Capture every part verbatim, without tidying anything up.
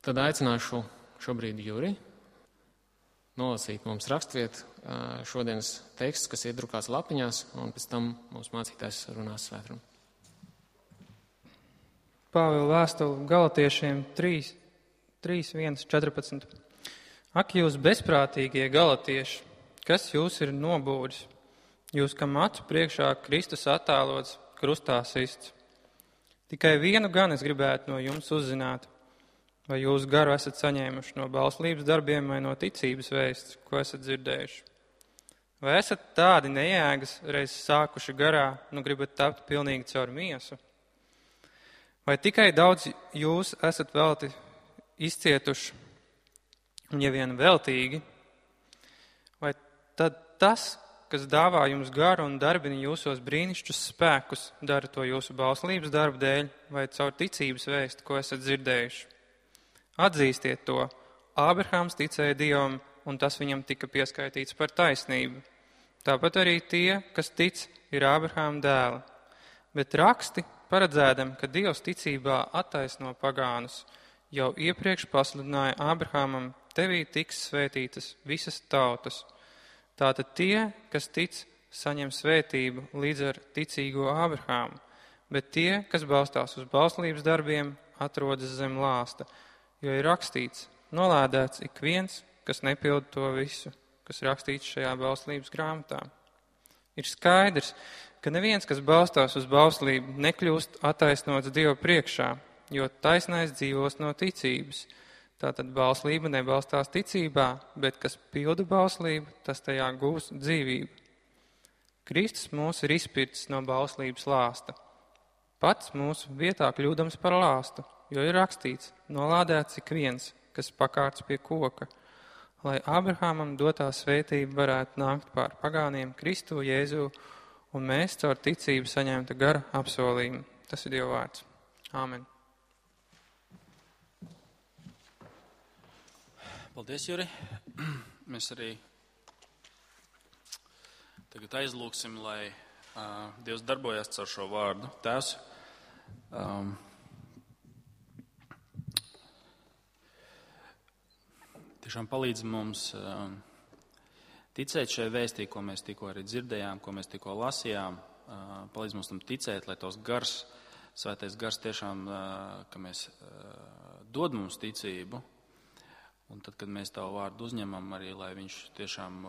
Tad aicināšu šobrīd Juri nolasīt mums raksturvietu šodienas teksts, kas iedrukās lapiņās, un pēc tam mūsu mācītājs runās svētrunu. Pāvila vēstule Galatiešiem trīs, trīs, viens, četrpadsmit. Ak, jūs bezprātīgie galatieši, kas jūs ir nobūris? Jūs, kam acu priekšā Kristus attēlots, krustā sists. Tikai vienu gan es gribētu no jums uzzināt, vai jūs garu esat saņēmuši no bauslības darbiem vai no ticības vēsts, ko esat dzirdējuši. Vai esat tādi nejēgas, reiz sākuši garā, nu gribat tapt pilnīgi caur miesu? Vai tikai daudz jūs esat velti izcietuši, un ja vien veltīgi, vai tad tas, kas dāvā jums garu un darbina jūsos brīnišķus spēkus, dara to jūsu bauslības darbu dēļ vai caur ticības vēstu, ko esat dzirdējuši? Atzīstiet to, Ābrahāms ticēja Dievam, un tas viņam tika pieskaitīts par taisnību. Tāpat arī tie, kas tic, ir Ābrahāma dēli. Bet raksti, paredzēdam, ka Dievs ticībā attaisno pagānus, jau iepriekš pasludināja Ābrahāmam, tevī tiks svētītas visas tautas. Tātad tie, kas tic, saņem svētību līdz ar ticīgo Ābrahāmu, bet tie, kas balstās uz bauslības darbiem, atrodas zem lāsta, jo ir rakstīts, nolādēts ik viens, kas nepilda to visu, kas rakstīts šajā bauslības grāmatā. Ir skaidrs, ka neviens, kas balstās uz bauslību, nekļūst attaisnots Dieva priekšā, jo taisnais dzīvos no ticības. Tātad bauslība nebalstās ticībā, bet kas pilda bauslību, tas tajā gūs dzīvību. Kristus mūs ir izpircis no bauslības lāsta. Pats mūsu vietā kļūdams par lāstu, jo ir rakstīts, nolādēts ik viens, kas pakārts pie koka, lai Ābrahāmam dotā svētība varētu nākt pār pagāniem Kristu Jēzu, un mēs caur ticību saņemta gara apsolījumu. Tas ir Dieva vārds. Āmen. Paldies, Juri. Mēs arī tagad aizlūksim, lai uh, Dievs darbojas caur šo vārdu. Tēvs, um, tiešām palīdz mums um, ticēt šai vēstī, ko mēs tikko arī dzirdējām, ko mēs tikko lasījām. Uh, palīdz mums tam ticēt, lai tos gars, svētais gars tiešām, uh, ka mēs uh, dod mums ticību. Un tad, kad mēs tavu vārdu uzņemam arī, lai viņš tiešām,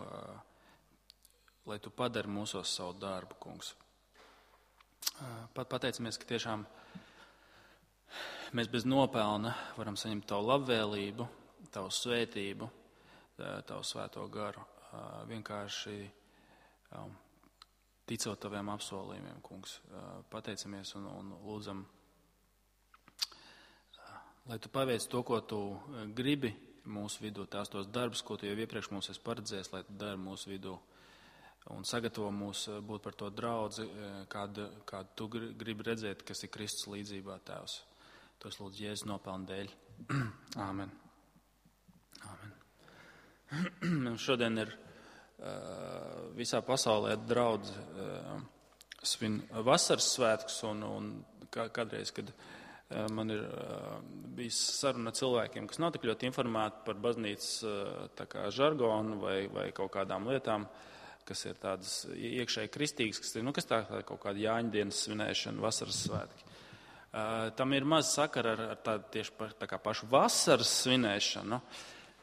lai tu padari mūsos savu darbu, kungs. Pat pateicamies, ka tiešām mēs bez nopelna varam saņemt tavu labvēlību, tavu svētību, tavu svēto garu. Vienkārši ticot taviem apsolījumiem, kungs. Pateicamies un, un lūdzam, lai tu paveic to, ko tu gribi, mūsu vidū, tās tos darbus, ko tu jau iepriekš mums esi paredzējis, lai tu dari mūsu vidū un sagatavo mūs būt par to draudzi, kādu, kādu tu gribi redzēt, kas ir Kristus līdzībā, Tēvs. To es lūdzu Jēzus nopelnu dēļ. Āmen. Āmen. Šodien ir uh, visā pasaulē draudzi uh, svin vasaras svētkus un, un kā, kādreiz, kad man ir uh, bijis saruna cilvēkiem, kas nav tik ļoti informēti par baznīcas uh, tā kā žargonu vai, vai kaut kādām lietām, kas ir tādas iekšēji kristīgas, kas ir, nu, kas tā, tā kaut kāda Jāņdienas svinēšana, vasaras svētki. Uh, tam ir maz sakara ar, ar tādu tieši pa, tā kā pašu vasaras svinēšanu,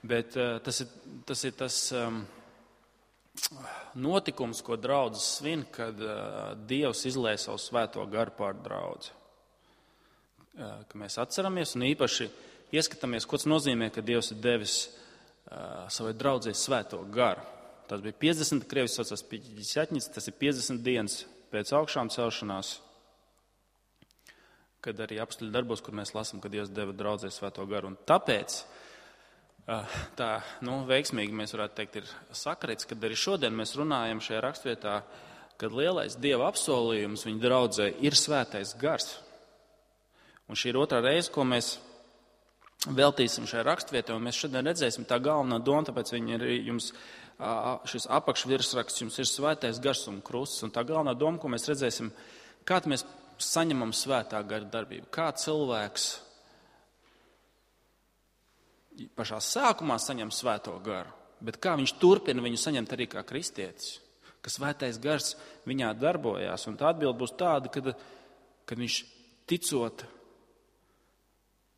bet uh, tas ir tas, ir tas um, notikums, ko draudzes svin, kad uh, Dievs izlēja savu svēto garu pār draudzi. Ka mēs atceramies un īpaši ieskatāmies, ko tas nozīmē, ka Dievs ir devis uh, savai draudzei svēto garu. Tas bija piecdesmit, krievis saucās piecdesmit, tas ir piecdesmit dienas pēc augšām celšanās, kad arī apstuļu darbos, kur mēs lasām, ka Dievs deva draudzei svēto garu. Un tāpēc uh, tā, nu, veiksmīgi mēs varētu teikt, ir sakarīts, kad arī šodien mēs runājam šajā rakstvietā, kad lielais Dieva apsolījums viņa draudzei ir svētais gars. Un šī ir otrā reize, ko mēs veltīsim šai rakstvietē, un mēs šodien redzēsim tā galvenā doma, tāpēc viņi ir jums, šis apakšvirsraksts jums ir svētais gars un krusts, un tā galvenā doma, ko mēs redzēsim, kā mēs saņemam svētā gara darbību, kā cilvēks pašā sākumā saņem svēto garu, bet kā viņš turpina viņu saņemt arī kā kristietis, ka svētais gars viņā darbojās. Un tā atbilde būs tāda, kad, kad viņš ticot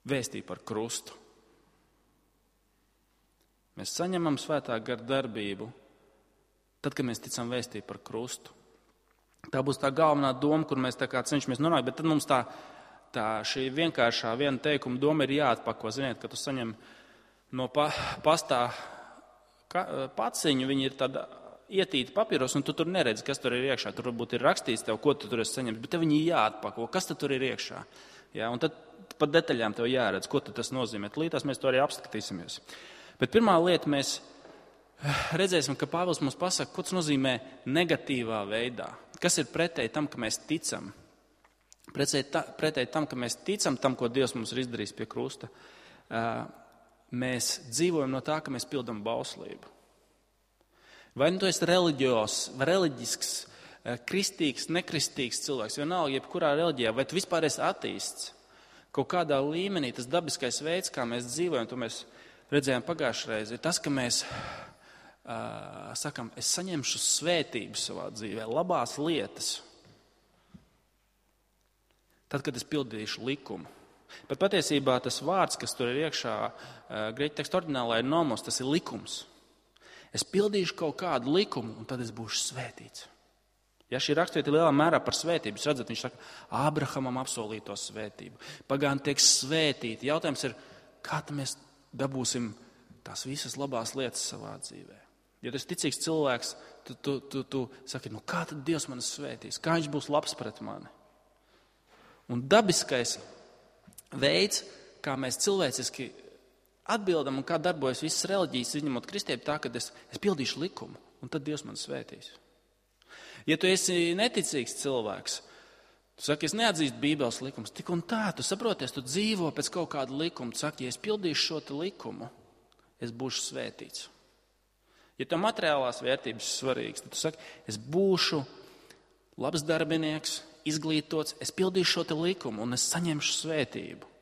vēstī par krustu. Mēs saņemam svētā gara darbību tad, kad mēs ticam vēstī par krustu. Tā būs tā galvenā doma, kur mēs tā kā cenšamies nonākt, bet tad mums tā, tā šī vienkāršā viena teikuma doma ir jāatpako. Ziniet, ka tu saņem no pa, pastā ka, paciņu, viņi ir tāda ietīta papīros, un tu tur neredzi, kas tur ir iekšā. Tur varbūt ir rakstīts tev, ko tu tur esi saņemts, bet tev viņi jāatpako, kas tad tur ir iekšā. Ja, un tad par detaļām tev jāredz, ko tas nozīmē. Līdz mēs to arī apskatīsimies. Bet pirmā lieta mēs redzēsim, ka Pāvils mums pasaka, ko tas nozīmē negatīvā veidā. Kas ir pretēji tam, ka mēs ticam? Pretēji, ta, pretēji tam, ka mēs ticam tam, ko Dievs mums ir izdarījis pie krusta. Mēs dzīvojam no tā, ka mēs pildam bauslību. Vai nu tu esi reliģios, reliģisks, kristīgs, nekristīgs cilvēks, vienalga, jebkurā reliģijā, vai tu vispār esi ateists? Kaut kādā līmenī tas dabiskais veids, kā mēs dzīvojam, to mēs redzējām pagājušajā reizē, ir tas, ka mēs uh, sakam, es saņemšu svētību savā dzīvē, labās lietas, tad, kad es pildīšu likumu. Bet patiesībā tas vārds, kas tur ir iekšā, uh, grieķu teksta oriģinālā ir nomos, tas ir likums. Es pildīšu kaut kādu likumu, un tad es būšu svētīts. Ja šī rakstvieta ir lielā mērā par svētību, jūs redzat, viņš saka, Ābrahamam apsolīto svētību. Pagāni tiek svētīti. Jautājums ir, kā mēs dabūsim tās visas labās lietas savā dzīvē. Ja tu esi ticīgs cilvēks, tu, tu, tu, tu saki, nu kā tad Dievs mani svētīs? Kā viņš būs labs pret mani? Un dabiskais veids, kā mēs cilvēciski atbildam un kā darbojas visas reliģijas, izņemot kristību, tā, ka es, es pildīšu likumu, un tad Dievs mani svētīs. Ja tu esi neticīgs cilvēks, tu saki, es neatzīstu Bībeles likumus, tik un tā, tu saproties, tu dzīvo pēc kaut kāda likuma, tu saki, ja es pildīšu šo te likumu, es būšu svētīts. Ja tev materiālās vērtības ir svarīgas, tad tu saki, es būšu labs darbinieks, izglītots, es pildīšu šo te likumu un es saņemšu svētību.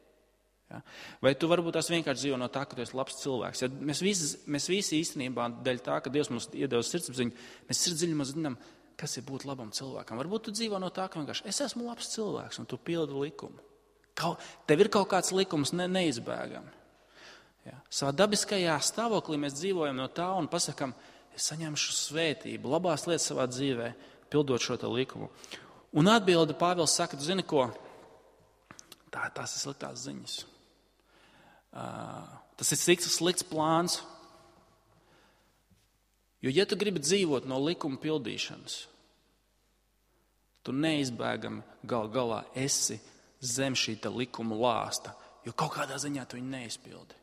Ja? Vai tu varbūt tās vienkārši dzīvo no tā, ka tu esi labs cilvēks. Ja mēs, visi, mēs visi īstenībā dēļ tā, ka Dievs mums iedevis sirdsapziņu, mēs sirdsdziļumā zinām, kas ir būt labam cilvēkam. Varbūt tu dzīvo no tā, ka vienkārši es esmu labs cilvēks un tu pildi likumu. Kaut, tev ir kaut kāds likums ne, neizbēgami. Ja? Savā dabiskajā stāvoklī mēs dzīvojam no tā un pasakam, es saņemšu svētību, labās lietas savā dzīvē, pildot šo te likumu. Un atbildi Pāvils saka, tu zini ko? Tā, tās ir sliktās ziņas. Uh, tas ir slikts, slikts plāns. Jo, ja tu gribi dzīvot no likuma pildīšanas, tu neizbēgami gal galā esi zem šī te likuma lāsta, jo kaut kādā ziņā tu viņu neizpildi.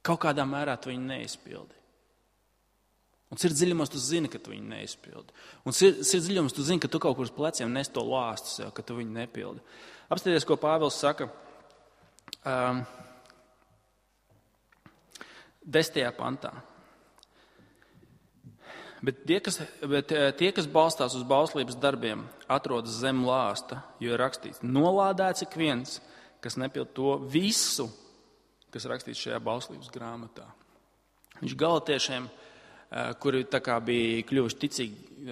Kaut kādā mērā tu viņu neizpildi. Un sirdsdziļumos tu zini, ka tu viņu neizpildi. Un sirdsdziļumos tu zini, ka tu kaut kur uz pleciem nes to lāstu sev, ka tu viņu nepildi. Apstāties, ko Pāvils saka um, desmitajā pantā. Bet tie, kas, bet tie, kas balstās uz bauslības darbiem, atrodas zem lāsta, jo ir rakstīts, nolādēts ik viens, kas nepild to visu, kas rakstīts šajā bauslības grāmatā. Viņš galatiešiem, kuri tā kā bija kļuvuši ticīgi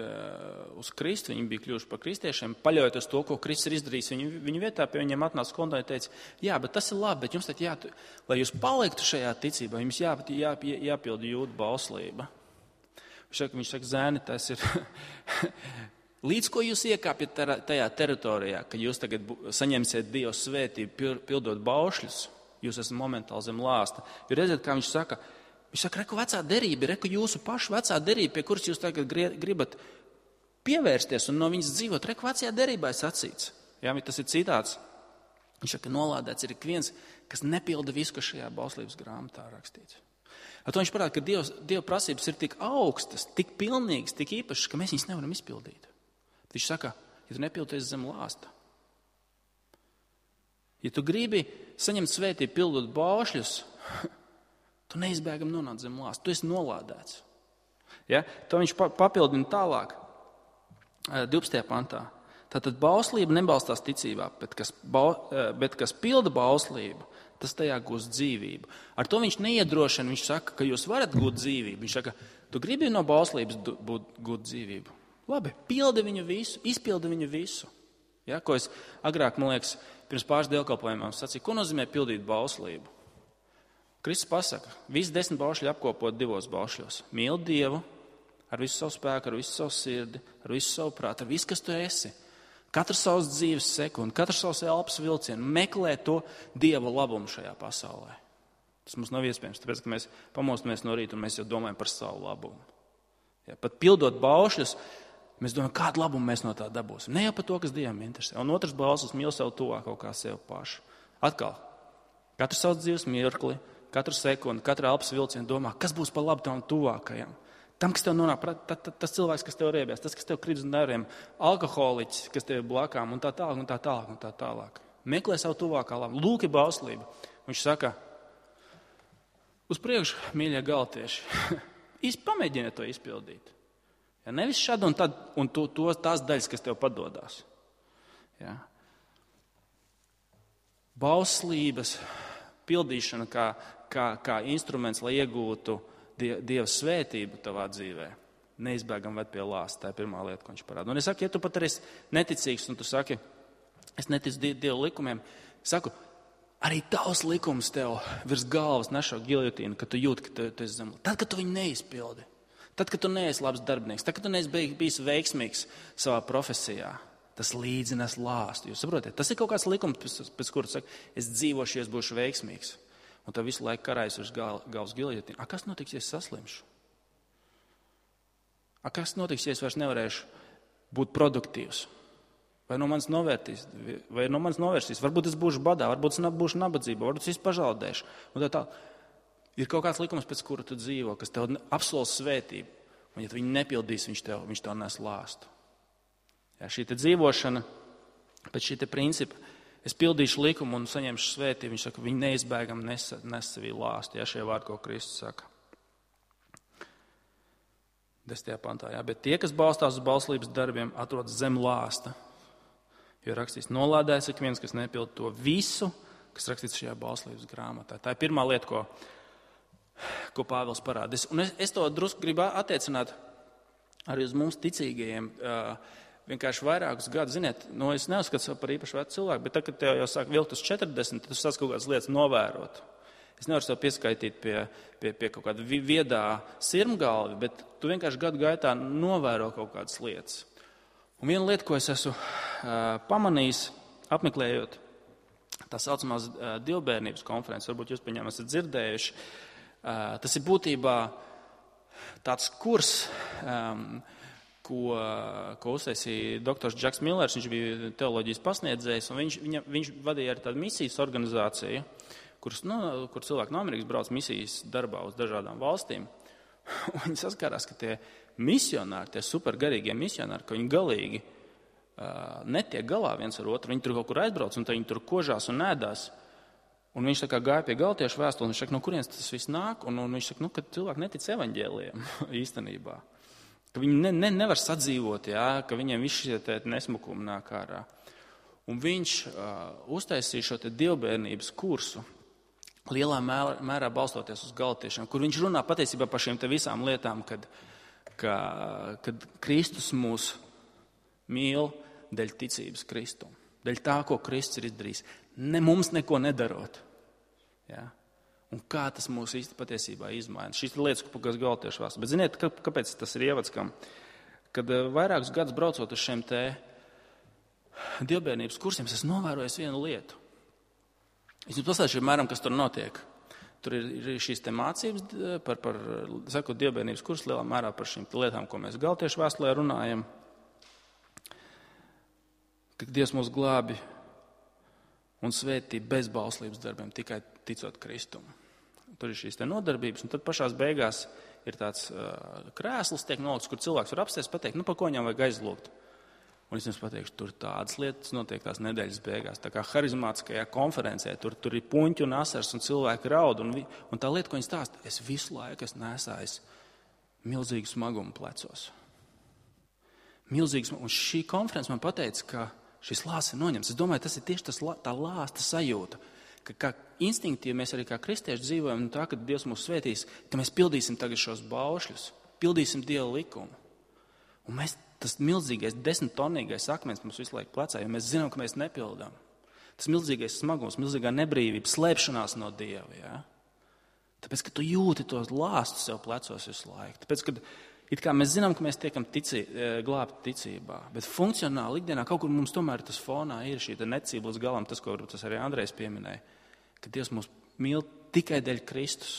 uz Kristu, viņi bija kļuvuši par kristiešiem, paļaujoties to, ko Kristus ir izdarījis, viņu, viņu vietā pie viņiem atnāca konta un teica, jā, bet tas ir labi, bet jums tad jā, lai jūs paliktu šajā ticībā, jums jā, jā, jāpild jūdu bauslība. Viņš saka, viņš saka, zēni, tas ir līdz ko jūs iekāpjat tajā teritorijā, ka jūs tagad saņemsiet Dieva svētību, pildot baušļus, jūs esat momentāli zem lāsta. Jo redziet, kā viņš saka, viņš saka, reku vecā derība, reku jūsu pašu vecā derība, pie kuras jūs tagad gribat pievērsties un no viņas dzīvot, reku vecajā derībā ir sacīts. Jā, tas ir citāts. Viņš saka, nolādēts ir ik viens, kas nepilda visu, kas šajā bauslības grāmatā rakstīts. Ar to viņš parāda, ka Dievs, Dieva prasības ir tik augstas, tik pilnīgas, tik īpašas, ka mēs viņas nevaram izpildīt. Viņš saka, ja tu nepildies zem lāsta, ja tu gribi saņemt svētību pildot baušļus, tu neizbēgam nonāc zem lāsta, tu esi nolādēts. Ja? To viņš papildina tālāk, divpadsmitajā pantā. Tātad bauslība nebalstās ticībā, bet kas, ba, bet kas pilda bauslību, tas tajā gūs dzīvību. Ar to viņš neiedrošina, viņš saka, ka jūs varat gūt dzīvību. Viņš saka, tu gribi no bauslības būt, gūt dzīvību. Labi, pildi viņu visu, izpildi viņu visu. Ja, ko es agrāk, man liekas, pirms pāris dievkalpojumiem sacīju, ko nozīmē pildīt bauslību? Kristus pasaka, visi desmit baušļi apkopot divos baušļos. Mīli Dievu ar visu savu spēku, ar visu savu sirdi, ar visu savu prātu, ar visu, kas tu esi. Katru savas dzīves sekundi, katru savas elpas vilcienu, meklē to Dieva labumu šajā pasaulē. Tas mums nav iespējams, tāpēc, ka mēs pamostamies no rīta un mēs jau domājam par savu labumu. Ja, pat pildot baušļus, mēs domājam, kādu labumu mēs no tā dabūsim. Ne jau par to, kas Dievam interesē. Un otrs bauslis mīl sev tuvāk kaut kā sev pašu. Atkal, katru savas dzīves mirkli, katru sekundi, katru elpas vilcienu domā, kas būs par labu tavam tuvākajam. Tam, kas tev nonāk, tas cilvēks, kas tev riebies, tas, kas tev krīt uz nerviem, alkoholiķis, kas tev ir blakām un tā tālāk, un tā tālāk, un tā tālāk. Meklē savu tuvākā labu. Lūk, ir bauslība. Viņš saka, uz priekšu, mīļie galatieši, pamēģiniet to izpildīt. Ja, nevis šad un tad, un to, to, tās daļas, kas tev padodās. Ja. Bauslības pildīšana kā, kā, kā instruments, lai iegūtu Dieva svētību tavā dzīvē, neizbēgam ved pie lāsta. Tā ir pirmā lieta, ko viņš parāda. Un es saku, ja tu pat arī neticīgs, un tu saki, es neticu Dieva likumiem, saku, arī tavs likums tev virs galvas nešo giljotīnu, ka tu jūti, ka tu, tu esi zem. Tad, kad tu viņu neizpildi, tad, kad tu neesi labs darbinieks, tad, kad tu neesi bijis veiksmīgs savā profesijā, tas līdzines lāstu. Jūs saprotiet, tas ir kaut kāds likums, pēc, pēc kura saka, es dzīvošu, es būšu veiksmīgs. Un tā visu laiku karājas uz gal, galvas giljotīnu. A, kas notiks, ja es saslimšu? A, kas notiks, ja es vairs nevarēšu būt produktīvs? Vai no manis novērtīs? Vai no manis novērsīs? Varbūt es būšu badā, varbūt es būšu nabadzība, varbūt es pazaudēšu. Un tā tā. Ir kaut kāds likums, pēc kura tu dzīvo, kas tev apsola svētību. Un ja tu viņu nepildīs, viņš tev, viņš tev nes lāstu. Ja, šī te dzīvošana pēc šī te principa, es pildīšu likumu un saņemšu svētību. Viņš saka, viņi neizbēgam nes, nes sevī lāstu. Ja, šie vārdi, ko Kristus saka. Desmitajā pantā. Ja, bet tie, kas balstās uz bauslības darbiem, atrodas zem lāsta. Jo rakstīts, nolādēs ik viens, kas nepild to visu, kas rakstīts šajā bauslības grāmatā. Tā ir pirmā lieta, ko, ko Pāvils parāda. Un es, es to drusku gribu attiecināt arī uz mums ticīgajiem. Uh, Vienkārši vairākus gadus, ziniet, nu es neuzskatu sev par īpaši vecu cilvēku, bet tagad, kad tev jau sāk vilkt uz četrdesmit, tad tu sāc kaut kādas lietas novērot. Es nevaru sev pieskaitīt pie, pie, pie kaut kāda viedā sirmgalvi, bet tu vienkārši gadu gaitā novēro kaut kādas lietas. Un viena lieta, ko es esmu uh, pamanījis, apmeklējot tā saucamās uh, divbērnības konferences, varbūt jūs par viņām esat dzirdējuši, uh, tas ir būtībā tāds kurs, um, ko, ko uztaisīja doktors Džeks Millers. Viņš bija teoloģijas pasniedzējs, un viņš, viņa, viņš vadīja arī tādu misijas organizāciju, kuras, nu, kur cilvēki no Amerikas brauc misijas darbā uz dažādām valstīm. Un viņi saskārās, ka tie misionāri, tie supergarīgie misionāri, ka viņi galīgi uh, netiek galā viens ar otru. Viņi tur kaut kur aizbrauc, un viņi tur kožās un ēdās. Un viņš tā kā gāja pie galtiešu vēstuli, un viņš saka, no kurienes tas viss nāk? Un, un viņš saka, nu, ka cilvēki netic evaņģēlijam īstenībā. Ka viņi ne, ne, nevar sadzīvot, jā, ka viņiem viss šie nesmukumi nāk ārā. Un viņš uh, uztaisīja šo te dievbērnības kursu, lielā mērā, mērā balstoties uz galatiešiem, kur viņš runā patiesībā par šīm te visām lietām, kad, ka, kad Kristus mūs mīl dēļ ticības Kristum, dēļ tā, ko Kristus ir izdarījis, ne mums neko nedarot. Jā. Un kā tas mūs īsti patiesībā izmaina. Šīs ir lietas, kas galtieši vēlas. Bet ziniet, kāpēc tas ir ievads, kam? Kad vairākus gadus braucot uz šiem te dievbērnības kursiem, es novēroju vienu lietu. Es jums pastāstīšu, mēram, kas tur notiek. Tur ir šīs te mācības par, par sakot, dievbērnības kursu lielā mērā par šīm lietām, ko mēs galtiešu vēstulē runājam. Ka Dievs mūs glābi un svētī bez bauslības darbiem, tikai ticot Kristumu. Tur ir šīs te nodarbības, un tad pašās beigās ir tāds uh, krēsls tiek nolikts, kur cilvēks var apsties, pateikt, nu, pa ko viņam vajag aizlūgt. Un es jums pateikšu, tur tādas lietas notiek tās nedēļas beigās, tā kā harizmātiskajā konferencē, tur, tur ir puņķi un asars, un cilvēki raud, un, vi, un tā lieta, ko viņi stāsta, es visu laiku esmu nesājis milzīgu smagumu plecos. Milzīgs, un šī konference man pateica, ka šis lāsts ir noņemts. Es domāju, tas ir tieši tas, tā lāsta sajūta, ka kā instinktīvi mēs arī kā kristieši dzīvojam no tā, ka Dievs mūs svētīs, ka mēs pildīsim tagad šos baušļus, pildīsim Dieva likumu. Un mēs, tas milzīgais desmittonīgais akmens mums visu laiku plecā, jo mēs zinām, ka mēs nepildām. Tas milzīgais smagums, milzīgā nebrīvība, slēpšanās no Dieva. Ja? Tāpēc, ka tu jūti to lāstu sev plecos visu laiku. Tāpēc, ka it kā mēs zinām, ka mēs tiekam ticī, glābti ticībā, bet funkcionāli ikdienā kaut kur mums tomēr tas fonā ir šī necība līdz galam, tas, ko varbūt tas arī Andrejs pieminēja, ka Dievs mūs mīl tikai dēļ Kristus,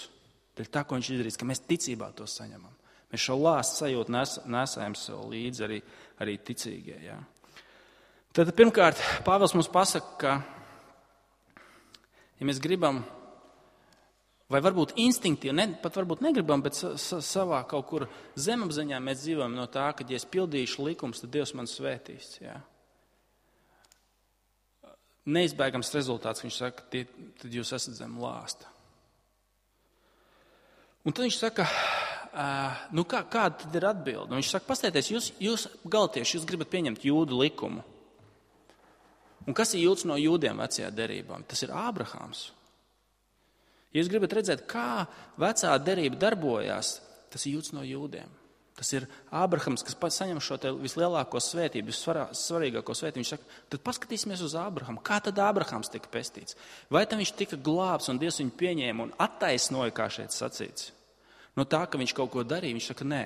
dēļ tā, ko viņš izdarīs, ka mēs ticībā to saņemam. Mēs šo lāstu sajūtu nes, nesējam sev līdzi arī, arī ticīgie. Ja? Tad pirmkārt, Pāvils mums pasaka, ka, ja mēs gribam, vai varbūt instinktīvi, ne, pat varbūt negribam, bet sa, sa, savā kaut kur zemapziņā mēs dzīvojam no tā, ka, ja es pildīšu likums, tad Dievs man svētīs. Ja? Neizbēgams rezultāts, viņš saka, tie, tad jūs esat zem lāsta. Un tad viņš saka, nu kā, kāda tad ir atbilde? Un viņš saka, pastieties, jūs, jūs galtieši, jūs gribat pieņemt jūdu likumu. Un kas ir jūds no jūdiem vecajā derībā? Tas ir Ābrahāms. Ja jūs gribat redzēt, kā vecā derība darbojās, tas ir jūds no jūdiem. Tas ir Ābrahams, kas pats saņem šo vislielāko svētību, vissvarīgāko svētību. Viņš saka, tad paskatīsimies uz Ābrahamu. Kā tad Ābrahams tika pestīts? Vai tam viņš tika glābs un Dievs viņu pieņēma un attaisnoja, kā šeit sacīts? No tā, ka viņš kaut ko darīja, viņš saka, nē.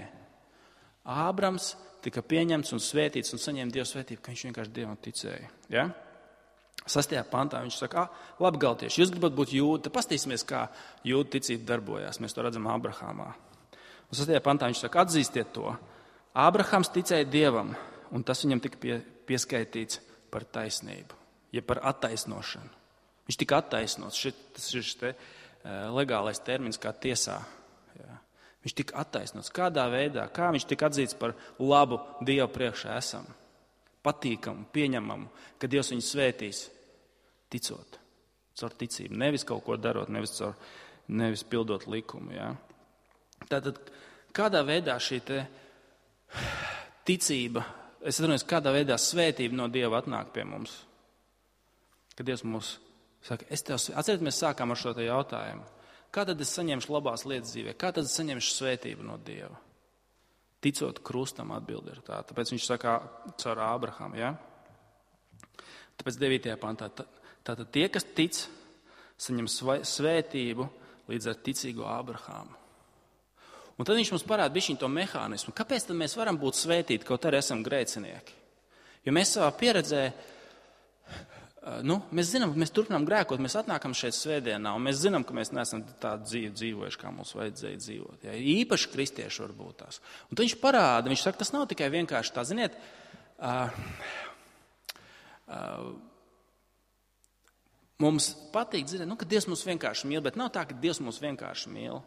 Ābrams tika pieņemts un svētīts un saņēma Dieva svētību, ka viņš vienkārši Dievam ticēja. Ja? Sastajā pantā viņš saka, labi, galtieši, jūs gribat būt jūdi, tad paskatīsimies, kā jūdu ticība darbojās. Mēs to redzam Ābrahamā. Un sastajā pantā viņš saka, atzīstiet to. Ābrahams ticēja Dievam, un tas viņam tika pie, pieskaitīts par taisnību, ja par attaisnošanu. Viņš tika attaisnots. Šit, tas ir šis te, legālais termins kā tiesā. Jā. Viņš tika attaisnots. Kādā veidā? Kā viņš tika atzīts par labu Dievu priekšā esam? Patīkamu, pieņemamu, ka Dievs viņu svētīs, ticot, caur ticību. Nevis kaut ko darot, nevis, caur, nevis pildot likumu. Jā. Tātad, kādā veidā šī te ticība, es atceros, kādā veidā svētība no Dieva atnāk pie mums? Kad Dievs mums saka, es tev, atceriet, mēs sākām ar šo te jautājumu. Kā tad es saņemšu labās lietas dzīvē? Kā tad es saņemšu svētību no Dieva? Ticot krustam atbildi ir tā. Tāpēc viņš saka caur Ābrahamu. Ja? Tāpēc devītajā pantā. Tātad tie, kas tic, saņem svētību līdz ar ticīgo Ābrahamu. Un tad viņš mums parāda bišķiņ to mehānismu. Kāpēc tad mēs varam būt svētīti, kaut arī esam grēcinieki? Jo mēs savā pieredzē, nu, mēs zinām, ka mēs turpinām grēkot, mēs atnākam šeit svētdienā, un mēs zinām, ka mēs neesam tādu dzīvi dzīvojuši, kā mums vajadzēja dzīvot. Ja? Īpaši kristieši varbūt tās. Un tad viņš parāda, viņš saka, tas nav tikai vienkārši tā, ziniet, uh, uh, mums patīk dzirdēt, nu, ka Dievs mūs vienkārši mīl, bet nav tā, ka Dievs mūs vienkārši mīl.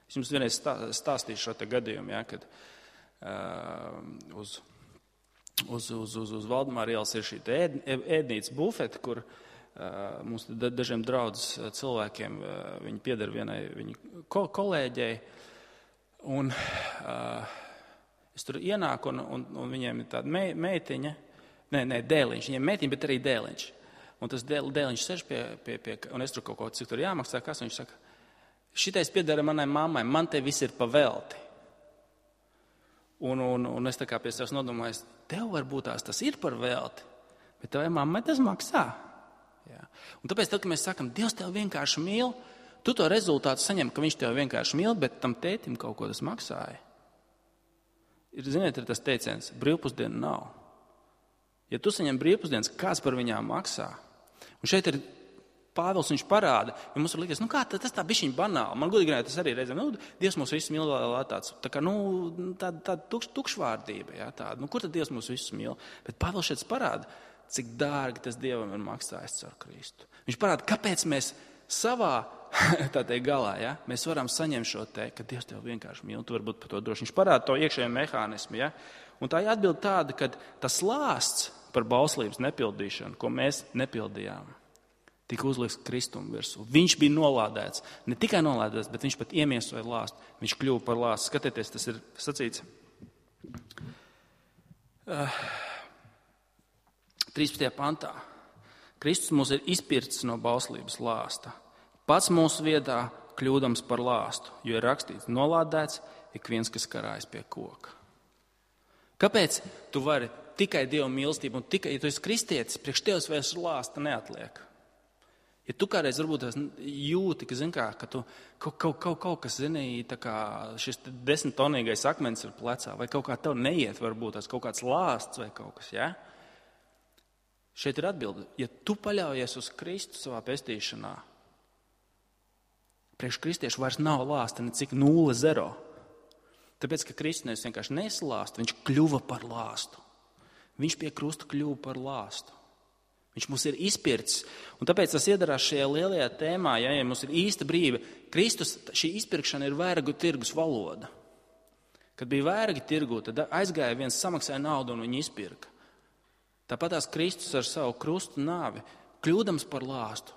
Es jums vienreiz stāstīšu šo te gadījumu, ja, kad uh, uz... Uz, uz, uz, uz Valdemāra ielas ir šī ēd, ēdnīca bufete, kur uh, mums dažiem draudzes cilvēkiem uh, viņi pieder vienai viņu ko, kolēģei. Un uh, es tur ienāku, un, un, un viņiem ir tāda me, meitiņa, nē, nē, dēliņš, viņiem meitiņa, bet arī dēliņš. Un tas dēl, dēliņš sēž pie, pie, pie, un es tur kaut ko, cik tur jāmaksā, kas viņš saka, šitais piedara manai mammai, man te viss ir pavelti. Un, un, un es tā kā pie sevis nodomāju, tev varbūt tās tas ir par velti, bet tevai mammai tas maksā. Jā. Un tāpēc, tad, kad mēs sakam, Dievs tev vienkārši mīl, tu to rezultātu saņem, ka viņš tev vienkārši mīl, bet tam tētim kaut ko tas maksāja. Ir, ziniet, ir tas teiciens, brīvpusdienu nav. Ja tu saņem brīvpusdienas, kāds par viņām maksā? Un šeit ir Pāvils, viņš parāda, jo mums ir likies, nu kā, tas tā bišķiņ banāli. Man godīgi runājot, tas arī reizēm, nu, Dievs mūs visus mīl, tāds, tā kā, nu, tāda tā, tukš, tukšvārdība, jā, tāda, nu, kur tad Dievs mūs visus mīl? Bet Pāvils šeit parāda, cik dārgi tas Dievam ir maksājis caur Kristu. Viņš parāda, kāpēc mēs savā, tā te galā, jā, mēs varam saņemt šo te, ka Dievs tev vienkārši mīl, tu varbūt par to droši. Viņš parāda to iekšējo mehānismu, jā. Un tā atbild tāda, ka tas lāsts par bauslības nepildīšanu, ko mēs nepildījām, tika uzlikts Kristumu virsū. Viņš bija nolādēts. Ne tikai nolādēts, bet viņš pat iemiesoja lāstu. Viņš kļuva par lāstu. Skatieties, tas ir sacīts. Uh, trīspadsmitajā pantā, Kristus mūs ir izpircis no bauslības lāsta. Pats mūsu vietā kļūdams par lāstu, jo ir rakstīts, nolādēts ik viens, kas karājas pie koka. Kāpēc tu vari tikai Dieva mīlestību un tikai, ja tu esi kristietis, priekš tevis vairs lāsta neatliek? Ja tu kādreiz varbūt jūti, ka, zin kā, ka tu kaut, kaut, kaut, kaut kas, zini, tā kā šis desmittonīgais akmens ir plecā, vai kaut kā tev neiet, varbūt tas kaut kāds lāsts vai kaut kas, ja? Šeit ir atbilde. Ja tu paļaujies uz Kristu savā pestīšanā, priekš kristiešu vairs nav lāsta necik nulle zero. Tāpēc, ka Kristus nevis vienkārši neslāsta, viņš kļuva par lāstu. Viņš pie krusta kļuva par lāstu. Viņš mums ir izpircis. Un tāpēc tas iedarās šajā lielajā tēmā, ja, ja mums ir īsta brīve. Kristus, šī izpirkšana ir vergu tirgus valoda. Kad bija vergi tirgu, tad aizgāja viens, samaksāja naudu un viņu izpirka. Tāpat tās Kristus ar savu krustu nāvi, kļūdams par lāstu,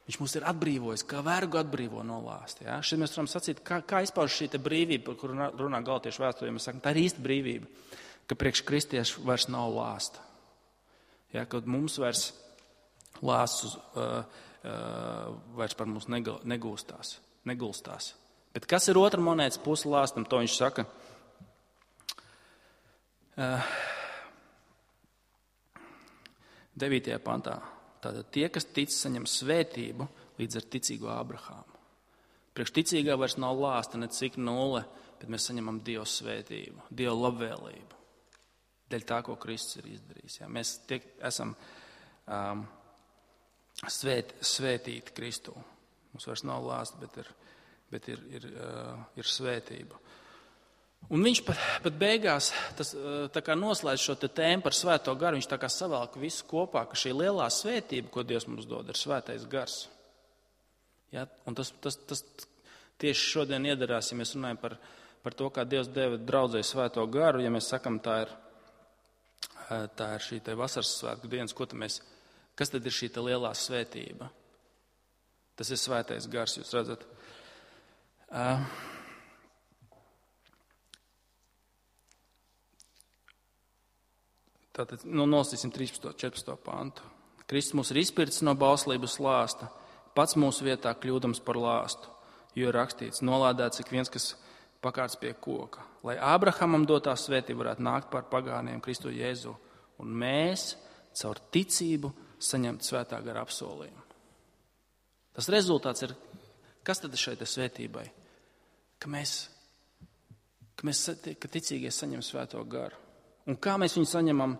viņš mūs ir atbrīvojis, kā vergu atbrīvo no lāsta. Ja? Šeit mēs varam sacīt, kā, kā izpauž šī te brīvība, par kuru runā Galatiešu vēsturē. Mēs sakam, tā ir īsta brīvība, ka priekš kristiešu vairs nav lāsta. Ja? Kad mums vairs lāsts uh, uh, vairs par mums negūstās, negulstās. Bet kas ir otra monētas puse lāstam, to viņš saka. Uh, devītajā pantā. Tātad tie, kas tic, saņem svētību līdz ar ticīgo Abrahāmu. Priekš ticīgā vairs nav lāsta necik nulle, bet mēs saņemam Dieva svētību, Dieva labvēlību. Dēļ tā, ko Kristus ir izdarījis. Ja? Mēs tiek, esam um, svēt, svētīti Kristū. Mums vairs nav lāsta, bet ir, bet ir, ir, uh, ir svētība. Un viņš pat, pat beigās tas, tā kā noslēdz šo te tēmu par svēto garu, viņš tā kā savelk visu kopā, ka šī lielā svētība, ko Dievs mums dod, ir svētais gars. Ja? Un tas, tas, tas tieši šodien iedarās, ja mēs runājam par, par to, kā Dievs deva draudzei svēto garu, ja mēs sakam, tā ir, tā ir šī te vasaras svētku dienas, ko tad mēs, kas tad ir šī te lielā svētība? Tas ir svētais gars, jūs redzat. Uh, Tātad nu, nolasīsim trīspadsmito četrpadsmito pantu. Kristus mūs ir izpircis no bauslības lāsta, pats mūsu vietā kļūdams par lāstu, jo ir rakstīts, nolādēts ik viens, kas pakārts pie koka, lai Ābrahamam dotā svētība varētu nākt pār pagāniem Kristu Jēzu, un mēs caur ticību saņemt svētā gara apsolījumu. Tas rezultāts ir, kas tad ir šai svētībai? Ka mēs, ka mēs ka ticīgie saņem svēto garu. Un kā mēs viņu saņemam?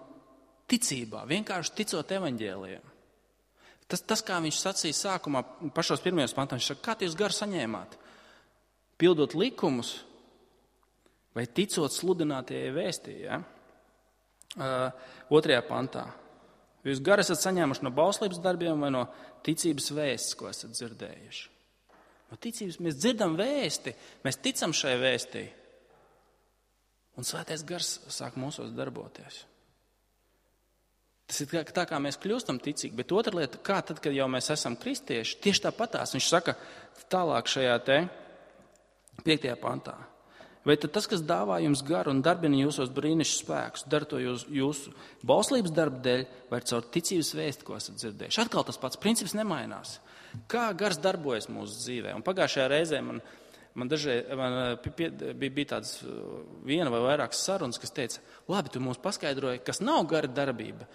Ticībā, vienkārši ticot evaņģēlijiem. Tas, tas, kā viņš sacīja sākumā, pašos pirmajos pantos, viņš saka, kā jūs garu saņēmāt? Pildot likumus vai ticot sludinātajai vēstī, ja? Uh, otrajā pantā. Jūs garu esat saņēmuši no bauslības darbiem vai no ticības vēstis, ko esat dzirdējuši? No ticības mēs dzirdam vēsti, mēs ticam šai vēstī. Un svētais gars sāk mūsos darboties. Tas ir tā, kā mēs kļūstam ticīgi, bet otra lieta, kā tad, kad jau mēs esam kristieši, tieši tāpatās. Viņš saka tālāk šajā te piektajā pantā. Vai tad tas, kas dāvā jums garu un darbina jūsos brīnišķus spēkus, dara to jūs, jūsu bauslības darba dēļ vai caur ticības vēsti, ko esat dzirdējuši? Atkal tas pats princips nemainās. Kā gars darbojas mūsu dzīvē? Un pagājušajā reizē man Man dažreiz man bija, bija tāds viena vai vairākas sarunas, kas teica, labi, tu mums paskaidroji, kas nav gara darbība,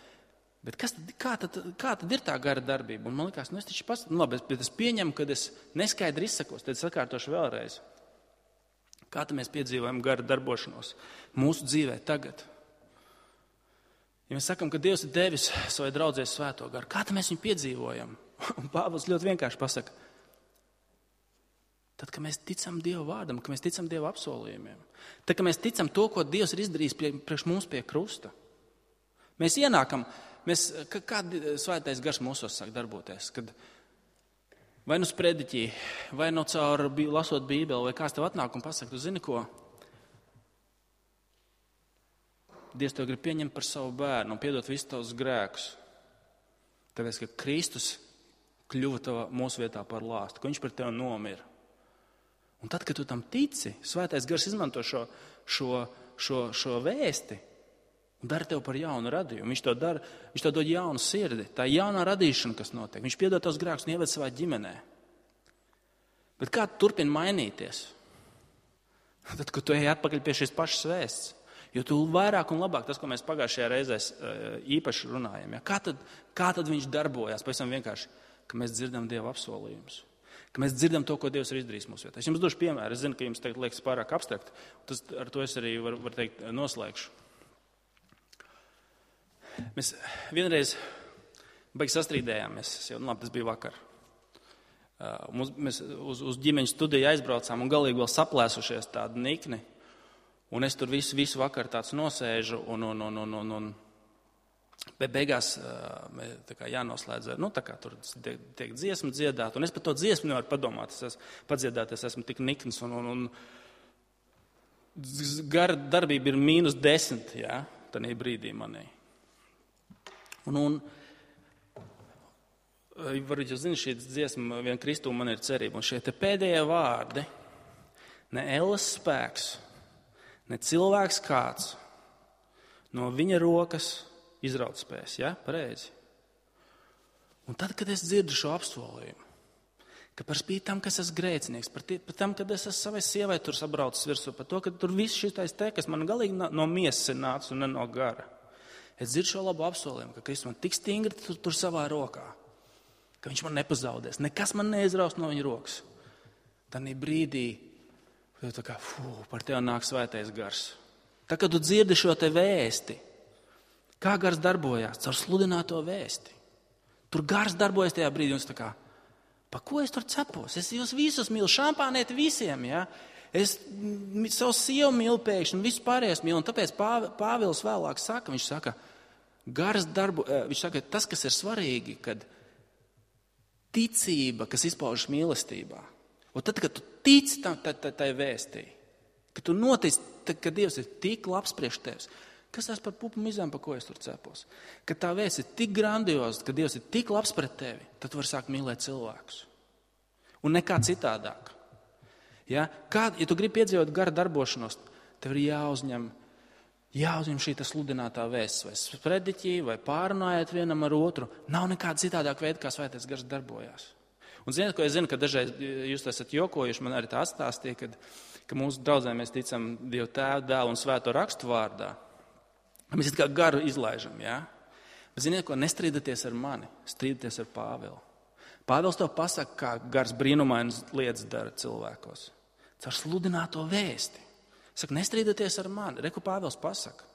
bet kas tad, kā, tad, kā tad ir tā gara darbība? Un man likās, nu es taču pas, nu labi, bet es pieņemu, kad es neskaidri izsakos, tad es atkārtošu vēlreiz. Kā tad mēs piedzīvojam gara darbošanos mūsu dzīvē tagad? Ja mēs sakam, ka Dievs ir devis savai draudzē svēto garu, kā tad mēs viņu piedzīvojam? Un Pāvils ļoti vienkārši pasaka, tad, kad mēs ticam Dieva vārdam, kad mēs ticam Dieva apsolījumiem, tad, kad mēs ticam to, ko Dievs ir izdarījis pie, priekš mums pie krusta, mēs ienākam, mēs, kāda svētais gars mūsos sāk darboties, kad vai nu sprediķī, vai nu caur lasot Bībeli, vai kāds tev atnāk un pasaka, tu zini ko? Dievs tev grib pieņemt par savu bērnu un piedot visus tavus grēkus, tāpēc, ka Kristus kļuva tava mūsu vietā par lāstu, ka viņš par tevi nomira. Un tad, kad tu tam tici, svētais gars izmanto šo, šo, šo, šo vēsti, un dara tev par jaunu radījumu. Viņš to dara, viņš to dod jaunu sirdi. Tā ir jaunā radīšana, kas notiek. Viņš piedod tos grēkus un ieved savā ģimenē. Bet kā tu turpini mainīties? Tad, kad tu ej atpakaļ pie šīs pašas vēsts. Jo tu vairāk un labāk, tas, ko mēs pagājušajā reizē īpaši runājam, ja? kā, tad, kā tad viņš darbojās? Pavisam vienkārši, ka mēs dzirdam Dieva apsolījumus. Ka mēs dzirdam to, ko Dievs ir izdarījis mūsu vietā. Es jums došu piemēru. Es zinu, ka jums tagad liekas pārāk abstrakt. Tas, ar to es arī varu var teikt noslēgšu. Mēs vienreiz baigi sastrīdējāmies. Jau, nu, labi, tas bija vakar. Uh, mums, mēs uz, uz ģimeņu studiju aizbraucām un galīgi vēl saplēsušies tādu nikni. Un es tur visu, visu vakaru tāds nosēžu un, un, un, un, un, un be beigās uh, tā kā jānoslēdz, nu tā kā tur tiek, tiek dziesma dziedāt. Un es par to dziesmu nevaru padomāt. Es esmu padziedāt, es esmu tik nikns un, un, un gara darbība ir mīnus desmit, jā, tanī brīdī manī. Un, un varbūt jūs zināt, šī dziesma vien Kristū man ir cerība. Un šie te pēdējie vārdi, ne elles spēks, ne cilvēks kāds, no viņa rokas izraut spēs, ja? Pareizi. Un tad, kad es dzirdu šo apsolījumu, ka par spīti tam, ka es esmu grēcinieks, par, tie, par tam, kad es esmu savai sievai tur sabraucis virsū, par to, ka tur viss šitais te, kas man galīgi no miesas ir nācis un ne no gara. Es dzirdu šo labu apsolījumu, ka Kristus man tik stingri tur, tur savā rokā, ka viņš man nepazaudēs, nekas man neizraus no viņa rokas. Tanī brīdī, tā kā, fū, par tevi nāk svētais gars. Tā, kad tu dzirdi šo te vēsti, kā gars darbojās, caur sludināto vēsti. Tur gars darbojas tajā brīdī, un es tā kā, pa ko es tur cepos? Es jūs visus mīlu, šampāniet visiem, ja? Es savu sievu mīlu pēkšņi, un visu pārējais mīlu, un tāpēc Pāvils vēlāk saka, viņš saka, gars darbu, viņš saka, tas, kas ir svarīgi, kad ticība, kas izpaužas mīlestībā. Un tad, kad tu tici tam, tai, tai, tai vēstī, kad tu notici, tad, kad Dievs ir tik labs priekš tevis, kas tas par pupu mizām, pa ko es tur cepos? Kad tā vēsts ir tik grandioza, kad Dievs ir tik labs pret tevi, tad tu vari sākt mīlēt cilvēkus. Un nekā citādāk. Ja, kā, ja tu gribi piedzīvot gara darbošanos, tev ir jāuzņem, jāuzņem šī sludinātā vēsts, vai sprediķī, vai pārunājot vienam ar otru. Nav nekāda citādāk veida, kā svētais gars darbojās. Un ziniet, ko es zinu, ka dažreiz jūs esat jokojuši, man arī tā atstāstīja, kad, ka mūsu draudzē mēs ticam Dievu Tēvu, Dēlu un Svēto rakstu vārdā. Mēs it kā garu izlaižam, jā? Bet ziniet, ko nestrīdaties ar mani, strīdaties ar Pāvilu. Pāvils to pasaka, kā gars brīnumainas lietas dara cilvēkos. Caur sludināto vēsti. Saka, nestrīdaties ar mani. Reku Pāvils pasaka.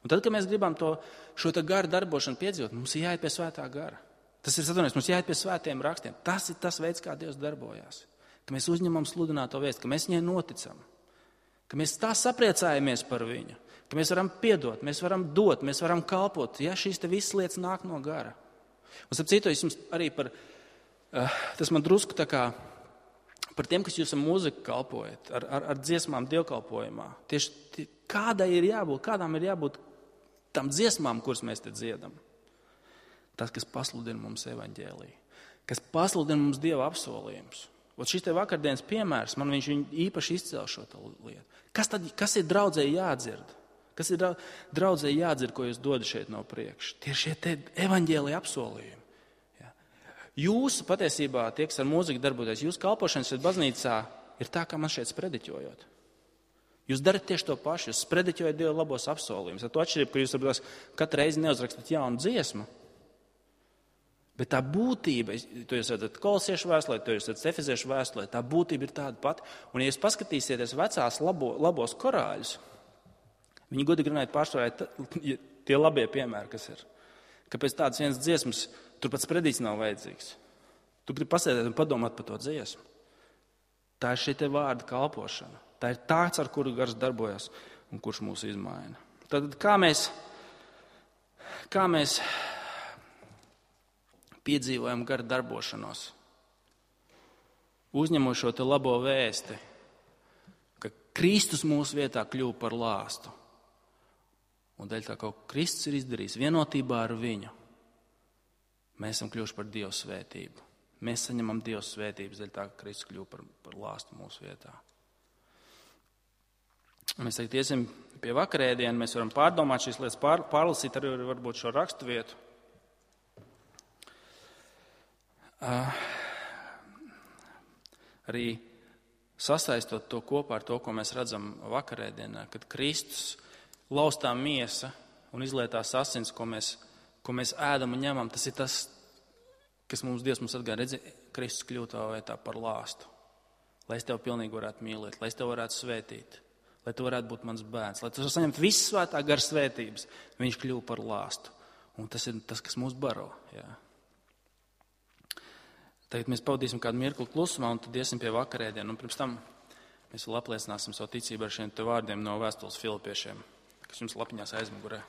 Un tad, kad mēs gribam to, šo te garu darbošanu piedzīvot, mums ir jāiet pie svētā gara. Tas ir satunies, mums jāiet pie svētiem rakstiem. Tas ir tas veids, kā Dievs darbojās. Ka mēs uzņemam sludināto vēsti, ka mēs viņai noticam. Ka mēs tā sapriecājamies par viņu. Ka mēs varam piedot, mēs varam dot, mēs varam kalpot. Ja šīs te visas lietas nāk no gara. Un starp citu, es jums arī par, uh, tas man drusku tā kā, par tiem, kas jūs ar mūziku kalpojat, ar, ar, ar dziesmām dievkalpojumā. Tieši tie, kādai ir jābūt, kādām ir jābūt tam dziesmām, kuras mēs te dziedam. Tas, kas pasludina mums evaņģēliju, kas pasludina mums Dieva apsolījumus. Un šis te vakardienas piemērs, man viņš īpaši izcēl šo lietu. Kas tad, kas ir draudzēji jādzird? Kas ir draudzēji jādzird, ko jūs dodat šeit no priekša? Tie ir šie te evaņģēlija apsolījumi. Ja. Jūsu patiesībā, tie, kas ar mūziku darboties, jūsu kalpošanas šeit baznīcā ir tā, kā man šeit sprediķojot. Jūs darat tieši to pašu, jūs sprediķojat Dieva labos apsolījumus. Ar to atšķirību, ka jūs varbūt katru reizi neuzrakstat jaunu dziesmu, bet tā būtība, to jūs redzat Kolosiešu vēstulē, to jūs redzat Efeziešu vēstulē, tā būtība ir tāda pati. Un ja jūs paskatīsieties vecās labo, labos korāļus, viņi godīgi runājot pārsvarā tie labie piemēri, kas ir. Kāpēc tādas vienas dziesmas, tur pats predīts nav vajadzīgs. Tu gribi pasēdēt un padomāt par to dziesmu. Tā ir šī te vārda kalpošana. Tā ir tāds, ar kuru gars darbojas un kurš mūs izmaina. Tad kā mēs, kā mēs piedzīvojam gara darbošanos, uzņemot šo te labo vēsti, ka Kristus mūsu vietā kļuva par lāstu. Un dēļ tā, ka Kristus ir izdarījis vienotībā ar viņu, mēs esam kļuvuši par Dieva svētību. Mēs saņemam Dieva svētības dēļ tā, ka Kristus kļuva par, par lāstu mūsu vietā. Mēs tagad iesim pie vakarēdienu, mēs varam pārdomāt šīs lietas, pār, pārlasīt arī varbūt šo rakstu vietu. Uh, arī sasaistot to kopā ar to, ko mēs redzam vakarēdienā, kad Kristus laustā miesa un izlietās asins, ko mēs, ko mēs ēdam un ņemam, tas ir tas, kas mums Dievs mums atgāja. Redzi, Kristus kļūt tavā vietā par lāstu, lai es tev pilnīgi varētu mīlēt, lai es tev varētu svētīt, lai tu varētu būt mans bērns, lai tu saņemtu visu svētā gara svētības. Viņš kļuva par lāstu. Un tas ir tas, kas mūs baro. Jā. Tagad mēs pavadīsim kādu mirkli klusumā un tad iesim pie vakarēdienu. Un pirms tam mēs vēl apliecināsim savu ticību ar šiem te vārdiem no vēstules Filipiešiem, kas jums lapiņās aizmugurē.